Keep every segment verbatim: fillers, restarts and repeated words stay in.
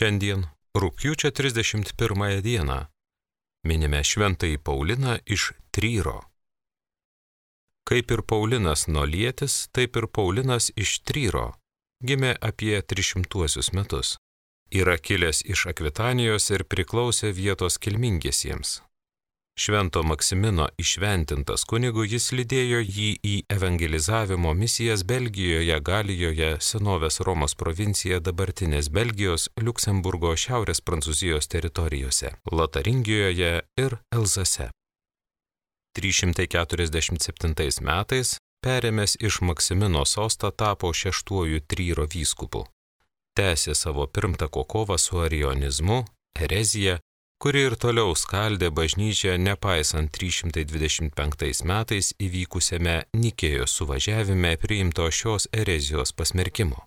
Šiandien, rugpjūčio trisdešimt pirmąją dieną, minime šventąjį Pauliną iš Tryro. Kaip ir Paulinas Nolietis, taip ir Paulinas iš Tryro gimė apie trišimtuosius metus. Yra kilęs iš Akvitanijos ir priklausė vietos kilmingiesiems. Švento Maksimino įšventintas kunigu jis lydėjo jį į evangelizavimo misijas Belgijoje, Galijoje, senovės Romos provincija dabartinės Belgijos, Liuksemburgo, Šiaurės Prancūzijos teritorijose, Lotaringijoje ir Elzase. trys šimtai keturiasdešimt septintais metais perėmęs iš Maksimino sostą tapo šeštuoju Tryro vyskupu. Tęsė savo pirmtako kovą su arionizmu, erezija, kuri ir toliau skaldė bažnyčią nepaisant trys šimtai dvidešimt penktais metais įvykusiame Nikėjos suvažiavime priimto šios erezijos pasmerkimo.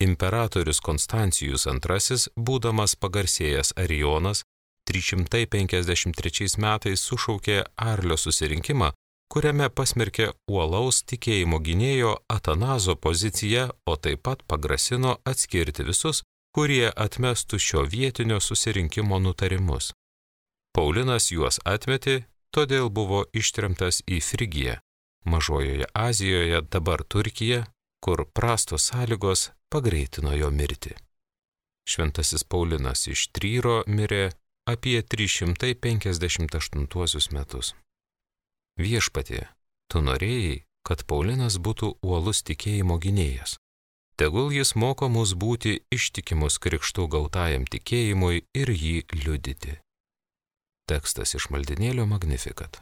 Imperatorius Konstancijus antrasis, būdamas pagarsėjęs arijonas, trys šimtai penkiasdešimt trečiais metais sušaukė Arlio susirinkimą, kuriame pasmerkė uolaus tikėjimo gynėjo Atanazo poziciją, o taip pat pagrasino atskirti visus, kurie atmestų šio vietinio susirinkimo nutarimus. Paulinas juos atmetė, todėl buvo ištremtas į Frigiją, Mažojoje Azijoje, dabar Turkija, kur prastos sąlygos pagreitino jo mirtį. Šventasis Paulinas iš Tryro mirė apie trys šimtai penkiasdešimt aštuntuosius metus. Viešpatie, tu norėjai, kad Paulinas būtų uolus tikėjimo gynėjas. Tegul jis moko mus būti ištikimus krikštų gautajam tikėjimui ir jį liudyti. Tekstas iš maldinėlio Magnificat.